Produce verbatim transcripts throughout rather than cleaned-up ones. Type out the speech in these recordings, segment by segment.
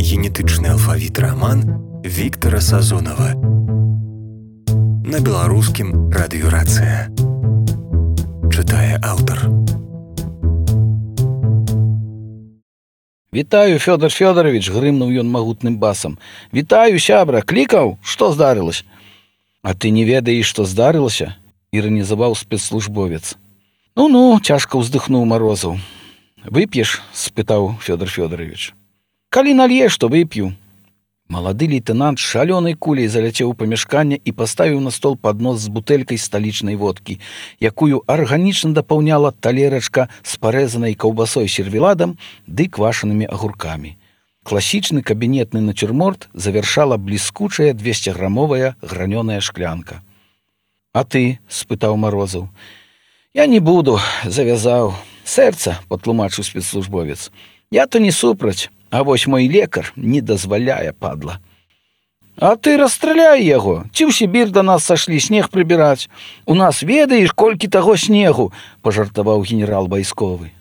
генетычны алфавіт раман Віктара Сазонава. На беларускім радыёрацыя. Чытае аўтар. Вітаю, Фёдор Фёдорович, грымнуў ён магутным басам. Вітаю, сябра, клікаў, што здарылася? А ты не ведаеш, што здарылася? Іранізаваў спецслужбовец. Ну-ну, цяжка ўздыхнуў Марозаў. Вып'еш? Спытаў Фёдор Фёдорович. Калі нальеш, то вып'ю. Малады лейтенант шалёнай куляй заляцеў у памяшканне і паставіў на стол паднос з бутэлькай сталічнай водкі, якую арганічна дапаўняла талерачка з парэзанай каўбасой сервеладам ды квашанымі агуркамі. Класічны кабінетны нацюрморт завяршала бліскучая двесціграмовая гранёная шклянка. А ты? Спытаў Марозаў. Я не буду, завязаў. Сэрца, патлумачыў спецслужбовец. Я то не супраць. А вось мой лекар не дазваляе, падла. А ты расстраляй яго. Ці ў Сібір да нас сашлі снег прыбіраць. У нас ведаеш, колькі таго снегу, пажартаваў генерал вайсковы.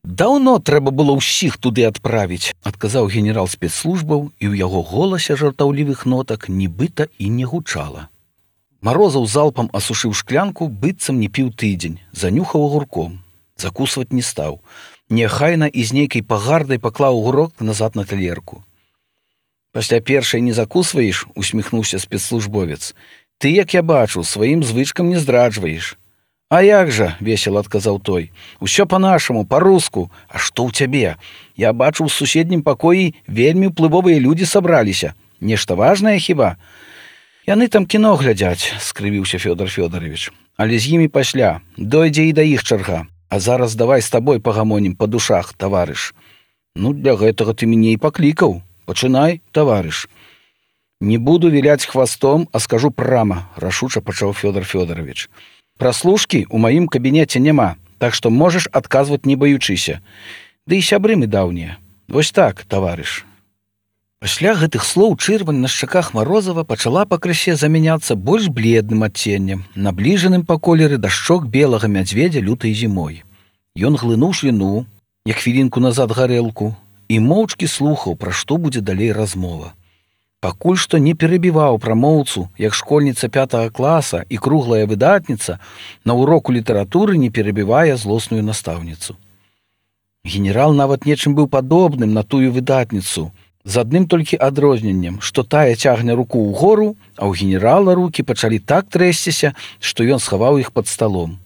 Даўно трэба было ўсіх туды адправіць, адказаў генерал спецслужбаў, і ў яго голасе жартаўлівых нотак нібыта і не гучала. Марозаў залпам асушыў шклянку, быццам не піў тыдзень, занюхаў агурком. Закусваць не стаў. Няхайна і з нейкай пагардай паклаў агурок назад на талерку. Пасля першай не закусваеш, усміхнуўся спецслужбовец. Ты, як я бачу, сваім звычкам не здраджваеш. А як жа, весела адказаў той. Усё па-нашаму, па-руску. А што ў цябе? Я бачу, у суседнім пакоі вельмі ўплывовыя людзі сабраліся. Нешта важнае хіба? Яны там кіно глядзяць, скрывіўся Фёдор Фёдорович. Але з імі пасля, дойдзе і да іх чарга. А зараз давай з табой пагамонім па душах, таварыш. Ну, для гэтага ты мяне і паклікаў. Пачынай, таварыш. Не буду віляць хвастом, а скажу прама, рашуча пачаў Фёдор Фёдорович. Праслушкі ў маім кабінеце няма, так што можаш адказваць не баючыся. Ды і сябры мы даўнія. Вось так, таварыш. Пасля гэтых слоў чырвань на шчаках Марозава пачала пакрысе замяняцца больш бледным адценнем, набліжаным па колеры да шчок белага мядзведзя лютай зімой. Ён глынуў шліну, як хвілінку назад гарэлку, і моўчкі слухаў, пра што будзе далей размова. Пакуль што не перабіваў прамоўцу, як школьніца пятага класа і круглая выдатніца на уроку літаратуры не перабівае злосную настаўніцу. Генерал нават нечым быў падобным на тую выдатніцу, з адным толькі адрозненнем, што тая цягне руку ўгору, а ў генерала рукі пачалі так трэсціся, што ён схаваў іх пад сталом.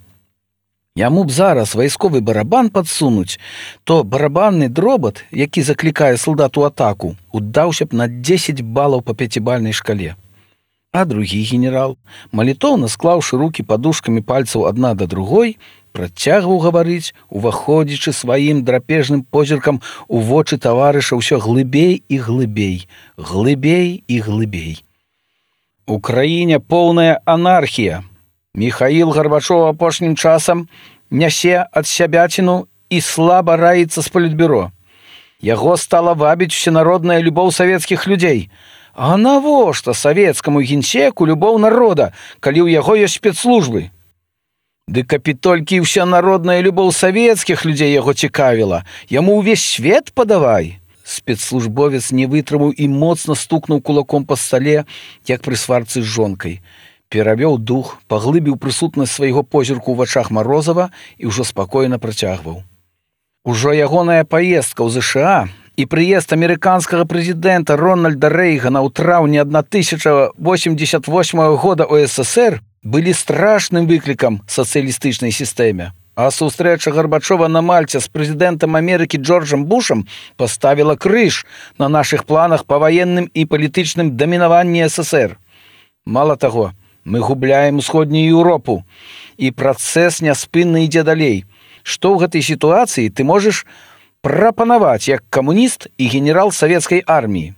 Яму б зараз вайсковы барабан падсунуць, то барабанны дробат, які заклікае салдат у атаку, удаўся б на дзесяць балаў па пяцібальнай шкале. А другі генерал, малітоўна склаўшы рукі падушкамі пальцаў адна да другой, працягваў гаварыць, уваходзячы сваім драпежным позіркам у вочы таварыша ўсё глыбей і глыбей, глыбей і глыбей. У краіне поўная анархія. Міхаіл Гарбачоў апошнім часам нясе ад сябяціну і слаба раіцца з палітбюро. Яго стала вабіць усенародная любоў савецкіх людзей. А навошта савецкаму генсеку любоў народа, калі ў яго ёсць спецслужбы? Ды каб толькі ўся народная любоў савецкіх людзей яго цікавіла, яму ўвесь свет падавай. Спецслужбовец не вытрымаў і моцна стукнуў кулаком па стале, як пры сварцы з жонкай. Перавёў дух, паглыбіў прысутнасць свайго позірку ў вачах Марозава і ўжо спакойна працягваў. Ужо ягоная паездка ў ЗША і прыезд амерыканскага прэзідэнта Рональда Рэйгана ў траўні тысяча восемьдесят восьмага года ў СССР былі страшным выклікам сацыялістычнай сістэме, а сустрэча Гарбачова на Мальце з прэзідэнтам Амерыкі Джорджам Бушам паставіла крыж на нашых планах па ваенным і палітычным дамінаванні СССР. Мала таго, мы губляем усходнюю Еўропу, і працэс няспынна ідзе далей. Што ў гэтай сітуацыі ты можаш прапанаваць як камуніст і генерал савецкай арміі?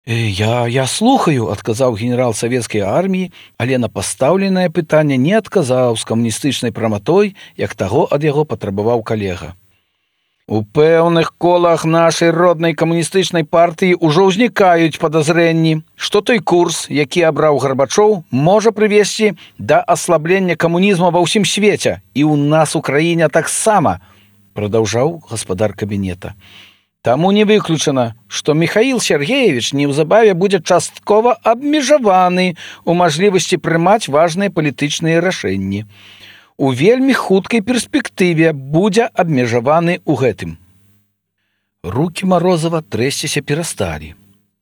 Я, я слухаю, адказаў генерал савецкай арміі, але на пастаўленае пытанне не адказаў з камуністычнай праматой, як таго ад яго патрабаваў калега. У пэўных колах нашай роднай камуністычнай партыі ўжо ўзнікаюць падазрэнні, што той курс, які абраў Гарбачоў, можа прывесці да аслаблення камунізму ва ўсім свеце, і ў нас у краіне таксама, прадаўжаў гаспадар кабінета. Таму не выключана, што Михаил Сергеевич неўзабаве будзе часткова абмежаваны ў мажлівасці прымаць важныя палітычныя рашэнні. У вельмі хуткай перспектыве будзе абмежаваны ў гэтым. Рукі Марозава трэсціся перасталі.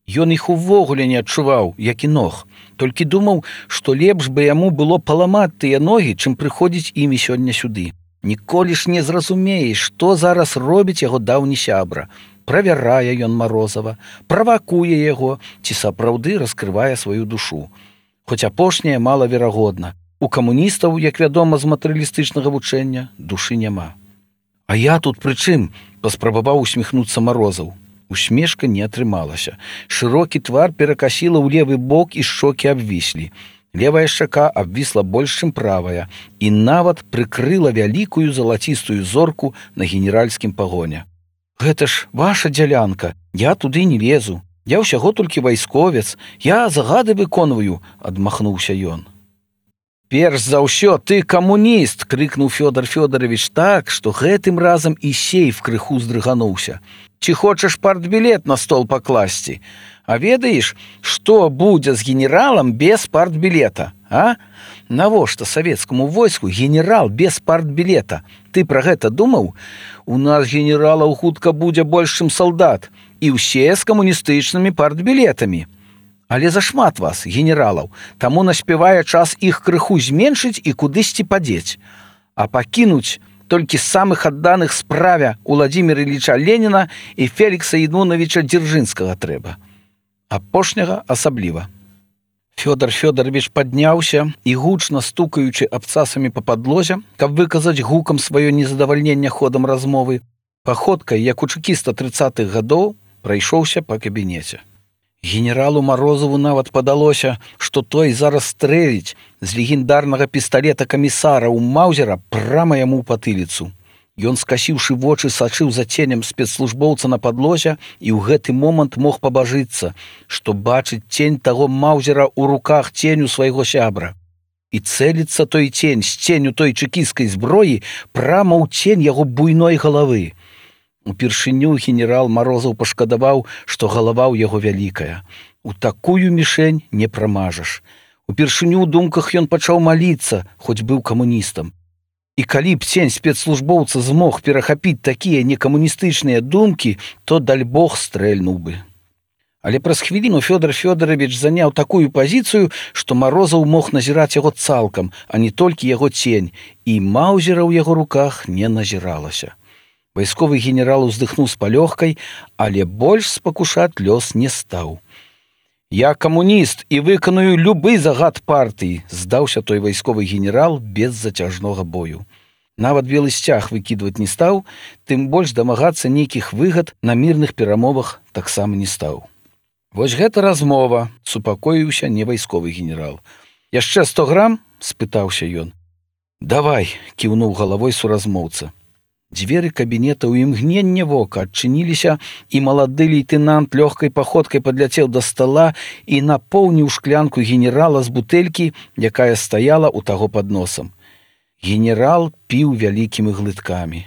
Ён іх увогуле не адчуваў, як і ног, толькі думаў, што лепш бы яму было паламаць тыя ногі, чым прыходзіць імі сёння сюды. Ніколі ж не зразумееш, што зараз робіць яго даўні сябра. Правярае ён Марозава, правакуе яго, ці сапраўды раскрывае сваю душу. Хоць апошняе малаверагодна. У камуністаў, як вядома з матэрыялістычнага вучэння, душы няма. А я тут пры чым? Паспрабаваў усміхнуцца Марозаў. Усмешка не атрымалася. Шырокі твар перакасіла ў левы бок і шчокі абвіслі. Левая шчака абвісла больш, чым правая, і нават прыкрыла вялікую залацістую зорку на генеральскім пагоне. Гэта ж ваша дзялянка, я туды не лезу. Я ўсяго толькі вайсковец, я загады выконваю, адмахнуўся ён. Перш за ўсё ты камуніст, крыкнуў Фёдор Фёдорович так, што гэтым разам і сейф крыху здрыгануўся. Ці хочаш партбілет на стол пакласці? А ведаеш, што будзе з генералам без партбілета, а? Навошта савецкаму войску генерал без партбілета? Ты пра гэта думаў? У нас генералаў хутка будзе больш, чым салдат, і ўсе з камуністычнымі партбілетамі. Але зашмат вас, генералаў, таму наспявае час іх крыху зменшыць і кудысьці падзець. А пакінуць толькі самых адданых справе Уладзіміра Ілліча Леніна і Фелікса Януновича Дзяржынскага трэба. Апошняга асабліва. Фёдор Фёдорович падняўся і, гучна стукаючы абцасамі па падлозе, каб выказаць гукам сваё незадавальненне ходам размовы, паходкай, як у чэкіста трыццатых гадоў, прайшоўся па кабінеце. Генералу Марозаву нават падалося, што той зараз стрэліць з легендарнага пісталета камісара ў Маузера прама яму ў патыліцу. Ён, скасіўшы вочы, сачыў за ценем спецслужбоўца на падлозе і ў гэты момант мог пабажыцца, што бачыць цень таго Маузера ў руках ценю свайго сябра. І цэліцца той цень з ценю той чэкісцкай зброі прама ў цень яго буйной галавы. Упершыню генерал Марозаў пашкадаваў, што галава ў яго вялікая. У такую мішень не прамажаш. Упершыню ў думках ён пачаў маліцца, хоць быў камуністам. І калі б цень спецслужбоўца змог перахапіць такія некамуністычныя думкі, то, даль Бог, стрэльнуў бы. Але праз хвіліну Фёдор Фёдорович заняў такую пазіцыю, што Марозаў мог назіраць яго цалкам, а не толькі яго цень, і Маузера ў яго руках не назіралася. Вайсковы генерал уздыхнуў з палёгкай, але больш спакушаць лёс не стаў. «Я камуніст і выканую любы загад партыі», здаўся той вайсковы генерал без зацяжнога бою. Нават белы сцяг выкідваць не стаў, тым больш дамагацца нейкіх выгад на мірных перамовах таксама не стаў. «Вось гэта размова», — супакоіўся не вайсковы генерал. «Яшчэ сто грам?» — спытаўся ён. «Давай», — кіўнуў галавой суразмоўца. Дзверы кабінета ў імгненне вока адчыніліся, і малады лейтэнант лёгкай паходкай падляцеў да стала і напоўніў шклянку генерала з бутэлькі, якая стаяла ў таго пад носам. Генерал піў вялікімі глыткамі.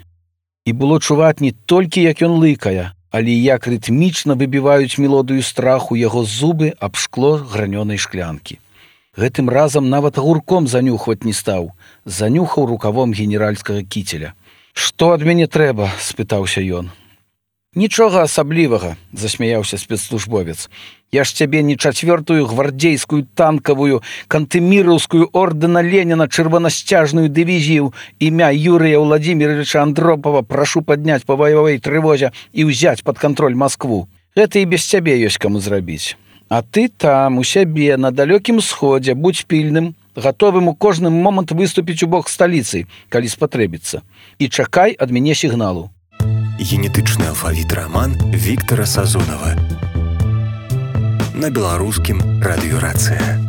І было чуваць не толькі, як ён лыкае, але як рытмічна выбіваюць мелодыю страху яго зубы аб шкло гранёнай шклянкі. Гэтым разам нават гурком занюхваць не стаў, занюхаў рукавом генеральскага кіцеля. «Што ад мяне трэба?» – спытаўся ён. «Нічога асаблівага», – засмяяўся спецслужбовец. «Я ж цябе не чацвёртую гвардзейскую танкавую кантэміраўскую ордэна Леніна чырванасцяжную дывізію імя Юрыя Владимировича Андропова прашу падняць па баявой трывозе і ўзяць пад кантроль Маскву. Гэта і без цябе ёсць каму зрабіць. А ты там, у сябе, на далёкім сходзе, будзь пільным, гатовым у кожны момант выступіць у бок сталіцы, калі спатрэбіцца. І чакай ад мяне сігналу». Генетычны алфавіт раман Віктара Сазонава. На беларускім радыёрацыя.